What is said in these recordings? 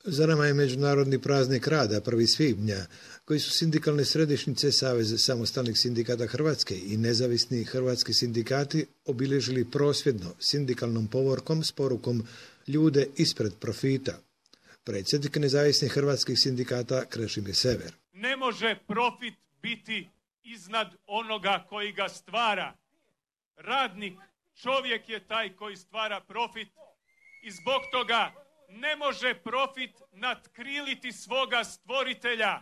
Za nama je Međunarodni praznik rada 1. svibnja, koji su sindikalne središnjice Saveza samostalnih sindikata Hrvatske i nezavisni hrvatski sindikati obilježili prosvjedno sindikalnom povorkom s porukom ljude ispred profita. Predsjednik nezavisnih hrvatskih sindikata Krešimir Sever. Ne može profit biti iznad onoga koji ga stvara. Radnik, čovjek je taj koji stvara profit i zbog toga ne može profit natkriliti svoga stvoritelja.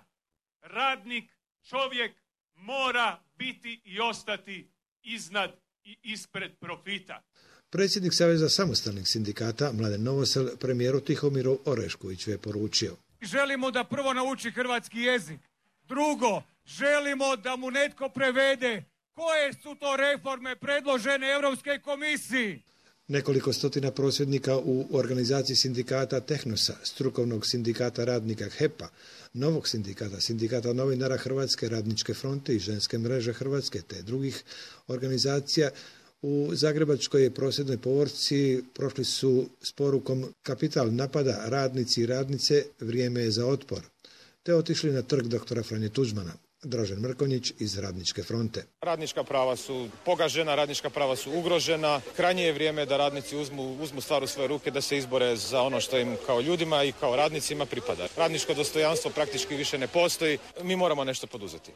Radnik, čovjek mora biti i ostati iznad i ispred profita. Predsjednik Saveza samostalnih sindikata Mladen Novosel premijeru Tihomiru Oreškoviću je poručio. Želimo da prvo nauči hrvatski jezik. Drugo, želimo da mu netko prevede koje su to reforme predložene Europskoj komisiji. Nekoliko stotina prosvjednika u organizaciji sindikata Tehnosa, strukovnog sindikata radnika HEP-a, novog sindikata, sindikata novinara Hrvatske radničke fronte i ženske mreže Hrvatske te drugih organizacija u Zagrebačkoj prosvjednoj povorci prošli su s porukom kapital napada, radnici i radnice, vrijeme je za otpor, te otišli na trg doktora Franje Tuđmana. Dražen Mrkonjić iz Radničke fronte. Radnička prava su pogažena, radnička prava su ugrožena. Krajnje je vrijeme da radnici uzmu stvar u svoje ruke, da se izbore za ono što im kao ljudima i kao radnicima pripada. Radničko dostojanstvo praktički više ne postoji. Mi moramo nešto poduzeti.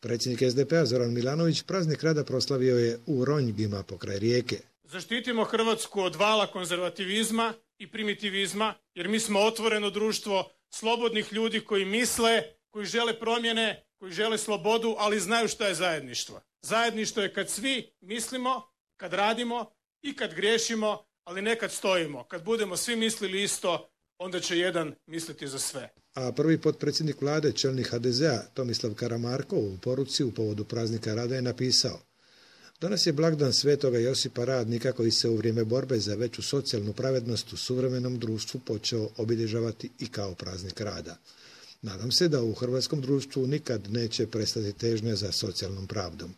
Predsjednik SDP-a Zoran Milanović praznik rada proslavio je u Ronjgima pokraj Rijeke. Zaštitimo Hrvatsku od vala konzervativizma i primitivizma, jer mi smo otvoreno društvo slobodnih ljudi koji misle, koji žele promjene, koji žele slobodu, ali znaju šta je zajedništvo. Zajedništvo je kad svi mislimo, kad radimo i kad griješimo, ali ne kad stojimo. Kad budemo svi mislili isto, onda će jedan misliti za sve. A prvi potpredsjednik vlade, čelnik HDZ-a Tomislav Karamarko u poruci u povodu praznika rada je napisao: danas je blagdan Svetoga Josipa Radnika koji se u vrijeme borbe za veću socijalnu pravednost u suvremenom društvu počeo obilježavati i kao praznik rada. Nadam se da u hrvatskom društvu nikad neće prestati težnja za socijalnom pravdom.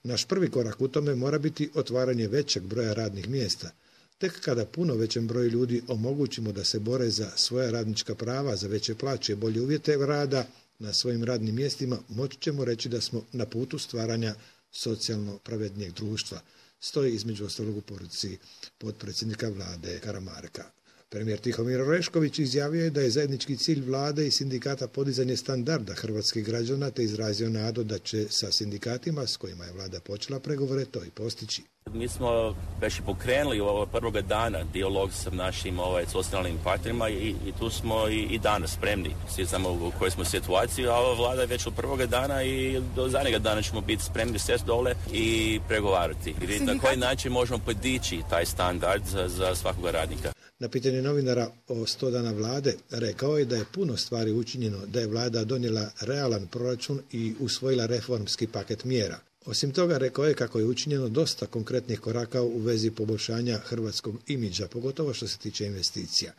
Naš prvi korak u tome mora biti otvaranje većeg broja radnih mjesta. Tek kada puno većem broju ljudi omogućimo da se bore za svoja radnička prava, za veće plaće i bolje uvjete rada na svojim radnim mjestima, moći ćemo reći da smo na putu stvaranja socijalno pravednijeg društva. Stoji između ostalog u poruci potpredsjednika vlade Karamarka. Premijer Tihomir Orešković izjavio je da je zajednički cilj vlade i sindikata podizanje standarda hrvatskih građana, te izrazio nadu da će sa sindikatima s kojima je vlada počela pregovore to i postići. Mi smo već pokrenuli ovog prvoga dana dijalog sa našim socijalnim partnerima i tu smo i danas spremni. Svi znamo u kojoj smo situaciji, a ova vlada je već od prvoga dana i do zadnjega dana ćemo biti spremni sjesti dole i pregovarati. I vidjeti na koji način možemo podići taj standard za svakoga radnika. Na pitanje novinara o 100 dana vlade rekao je da je puno stvari učinjeno, da je vlada donijela realan proračun i usvojila reformski paket mjera. Osim toga, rekao je kako je učinjeno dosta konkretnih koraka u vezi poboljšanja hrvatskog imidža, pogotovo što se tiče investicija.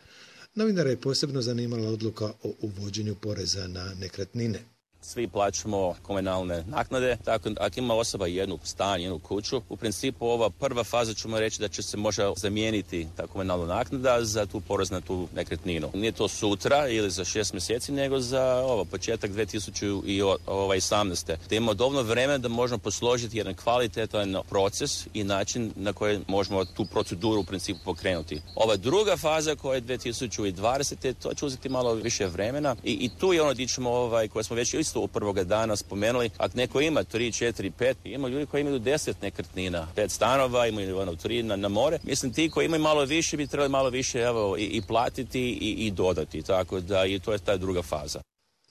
Novinara je posebno zanimala odluka o uvođenju poreza na nekretnine. Svi plaćamo komunalne naknade, tako ako ima osoba jednu stan, jednu kuću, u principu ova prva faza ćemo reći da će se možda zamijeniti ta komunalna naknada za tu porez na tu nekretninu. Nije to sutra ili za 6 mjeseci, nego za početak 2018. Da imamo dovoljno vremena da možemo posložiti jedan kvalitetan proces i način na koji možemo tu proceduru u principu pokrenuti. Ova druga faza koja je 2020. to će uzeti malo više vremena i tu je ono gdje ćemo koje smo već isto u prvoga dana spomenuli, ako neko ima 3, 4, 5, ima ljudi koji imaju 10 nekretnina, 5 stanova, imaju 3 na more. Mislim, ti koji imaju malo više bi trebali malo više i platiti i dodati, tako da i to je ta druga faza.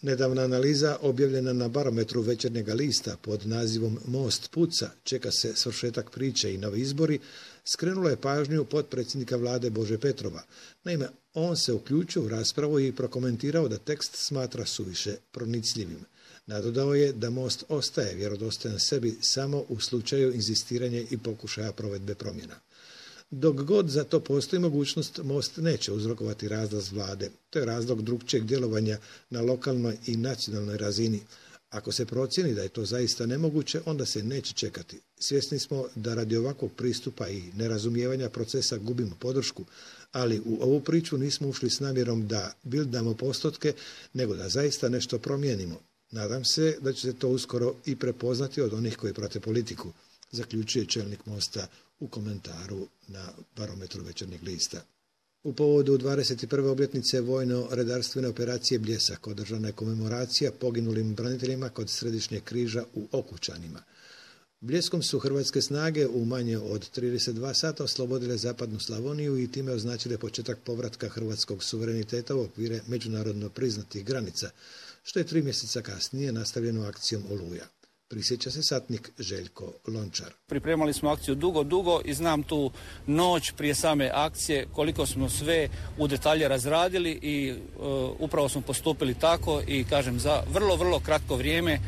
Nedavna analiza objavljena na barometru Večernjega lista pod nazivom Most puca, čeka se svršetak priče i novi izbori, skrenula je pažnju potpredsjednika vlade Bože Petrova. Naime, on se uključio u raspravu i prokomentirao da tekst smatra suviše pronicljivim. Nadodao je da Most ostaje vjerodostojan sebi samo u slučaju inzistiranja i pokušaja provedbe promjena. Dok god za to postoji mogućnost, Most neće uzrokovati razlaz vlade. To je razlog drukčijeg djelovanja na lokalnoj i nacionalnoj razini. Ako se procijeni da je to zaista nemoguće, onda se neće čekati. Svjesni smo da radi ovakvog pristupa i nerazumijevanja procesa gubimo podršku, ali u ovu priču nismo ušli s namjerom da bildamo postotke, nego da zaista nešto promijenimo. Nadam se da će se to uskoro i prepoznati od onih koji prate politiku, zaključuje čelnik Mosta u komentaru na Barometru Večernjeg lista. U povodu 21. obljetnice vojno-redarstvene operacije Bljesak održana je komemoracija poginulim braniteljima kod Središnjeg križa u Okučanima. Bljeskom su hrvatske snage u manje od 32 sata oslobodile zapadnu Slavoniju i time označile početak povratka hrvatskog suvereniteta u okvire međunarodno priznatih granica, što je 3 mjeseca kasnije nastavljeno akcijom Oluja. Prisjeća se satnik Željko Lončar. Pripremali smo akciju dugo i znam tu noć prije same akcije koliko smo sve u detalje razradili i upravo smo postupili tako i kažem za vrlo kratko vrijeme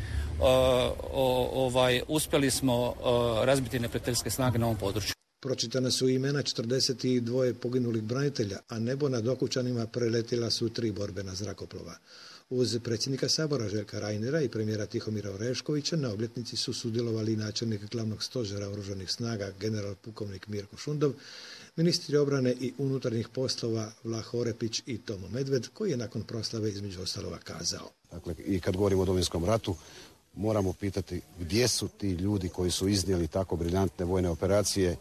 uspjeli smo razbiti neprijateljske snage na ovom području. Pročitana su imena 42 poginulih branitelja, a nebo nad Okučanima preletila su 3 borbena zrakoplova. Uz predsjednika Sabora Željka Reinera i premijera Tihomira Oreškovića na obljetnici su sudjelovali načelnik glavnog stožera oružanih snaga general pukovnik Mirko Šundov, ministri obrane i unutarnjih poslova Vlah Orepić i Tomo Medved, koji je nakon proslave između ostaloga kazao. Dakle, i kad govorimo o Domovinskom ratu, moramo pitati gdje su ti ljudi koji su iznijeli tako briljantne vojne operacije,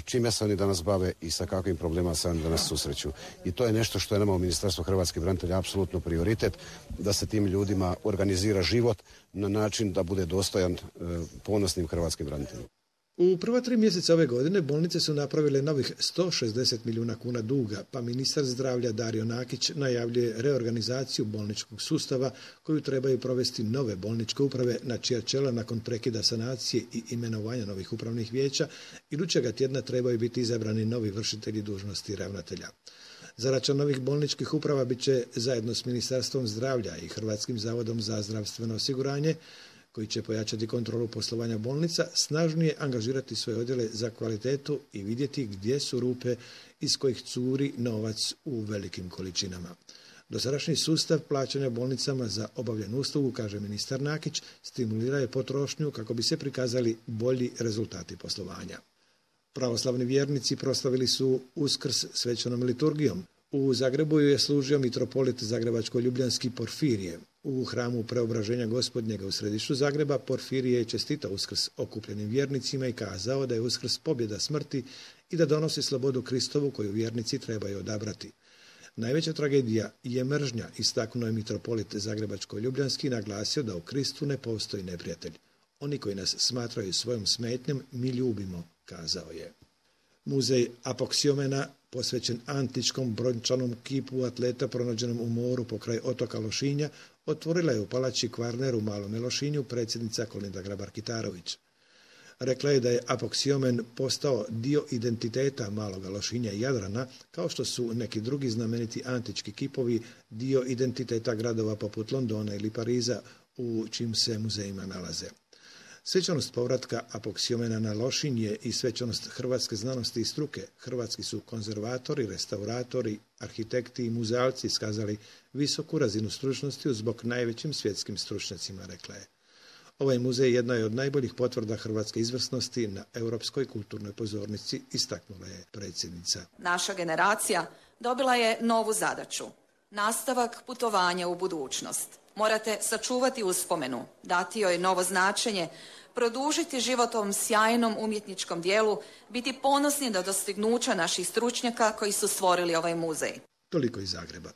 čime se oni danas bave i sa kakvim problemima se oni danas susreću. I to je nešto što je nama u Ministarstvu hrvatskih branitelja apsolutno prioritet, da se tim ljudima organizira život na način da bude dostojan ponosnim hrvatskim braniteljima. U prva 3 mjeseca ove godine bolnice su napravile novih 160 milijuna kuna duga, pa ministar zdravlja Dario Nakić najavljuje reorganizaciju bolničkog sustava koju trebaju provesti nove bolničke uprave na čija čela nakon prekida sanacije i imenovanja novih upravnih vijeća idućega tjedna trebaju biti izabrani novi vršitelji dužnosti ravnatelja. Zadaća novih bolničkih uprava bit će zajedno s Ministarstvom zdravlja i Hrvatskim zavodom za zdravstveno osiguranje, koji će pojačati kontrolu poslovanja bolnica, snažnije angažirati svoje odjele za kvalitetu i vidjeti gdje su rupe iz kojih curi novac u velikim količinama. Dosadašnji sustav plaćanja bolnicama za obavljenu uslugu, kaže ministar Nakić, stimulira je potrošnju kako bi se prikazali bolji rezultati poslovanja. Pravoslavni vjernici proslavili su Uskrs svečanom liturgijom. U Zagrebu je služio mitropolit zagrebačko-ljubljanski Porfirije. U hramu Preobraženja Gospodnjega u središtu Zagreba Porfirije je čestitao Uskrs okupljenim vjernicima i kazao da je Uskrs pobjeda smrti i da donosi slobodu Kristovu koju vjernici trebaju odabrati. Najveća tragedija je mržnja, istaknuo je mitropolit zagrebačko-ljubljanski i naglasio da u Kristu ne postoji neprijatelj. Oni koji nas smatraju svojom smetnjom mi ljubimo, kazao je. Muzej Apoksiomena, posvećen antičkom brončanom kipu atleta pronađenom u moru pokraj otoka Lošinja, otvorila je u palači Kvarner u Malome Lošinju predsjednica Kolinda Grabar-Kitarović. Rekla je da je Apoksiomen postao dio identiteta Maloga Lošinja i Jadrana, kao što su neki drugi znameniti antički kipovi dio identiteta gradova poput Londona ili Pariza u čim se muzejima nalaze. Svečanost povratka Apoksiomena na Lošinj je i svečanost hrvatske znanosti i struke. Hrvatski su konzervatori, restauratori, arhitekti i muzealci iskazali visoku razinu stručnosti uz bok najvećim svjetskim stručnjacima, rekla je. Ovaj muzej jedna je od najboljih potvrda hrvatske izvrsnosti na europskoj kulturnoj pozornici, istaknula je predsjednica. Naša generacija dobila je novu zadaću. Nastavak putovanja u budućnost. Morate sačuvati uspomenu, dati joj novo značenje, produžiti život ovom sjajnom umjetničkom dijelu, biti ponosni na dostignuća naših stručnjaka koji su stvorili ovaj muzej. Toliko iz Zagreba.